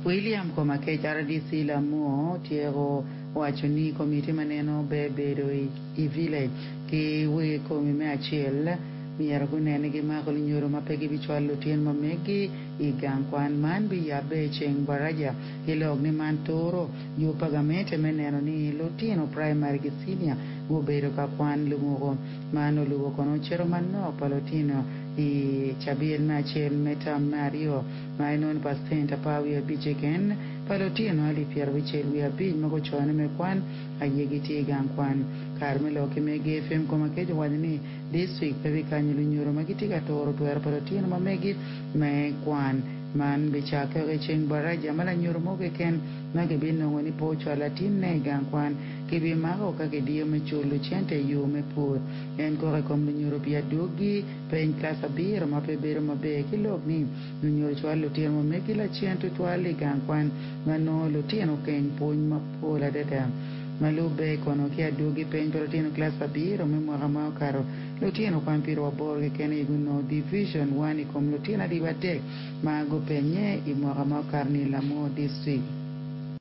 William Komakech, RDC Lamwo otyeko waco ni komiti ma neno ber bedo i village ki wegi komi me acel myero gunen ni gimako lunyodo ma pe gibicwalo lutino ma meggi i gang kwan. Man biyabbe i ceng baraja ki lok ni man turo yub pa gamente me neno ni lutino primary ki senior gubedo ka kwan lumuko. Man olubo kono cito manok pa lutino i cabit me acel me term me aryo ma inongo pacent 15 keken pa lutino 65,000 ma gucone me kwan aye gitye i gang kwan. Kare me lok ki megi FM Komakech owaco ni district pe bikanyo lunyodo ma gitye ka turo twero pa lutino ma megi me kwan. Man bicakke i ceng baraja ma lanyodo mo keken ma kibinongo ni pe ocwalo latinne i gang kwan kibimako ka kidiyo me culo cente i yo me pur. En kok i kom lunyodo pi adwogi peny kilac abiro ma pe bedo maber ki lok ni lunyodo cwalo lutino ma megi lacen tutwal i gang kwan ma nongo lutino keng pwony mapol adada. Ma lubbe kono ki adwogi peny pa lutino kilac abiro me mwaka ma okato, lutino kwan 80 keken aye gunongo Division 1 i kom lutino 300 ma gupenye i mwaka ma okato ni Lamwo District.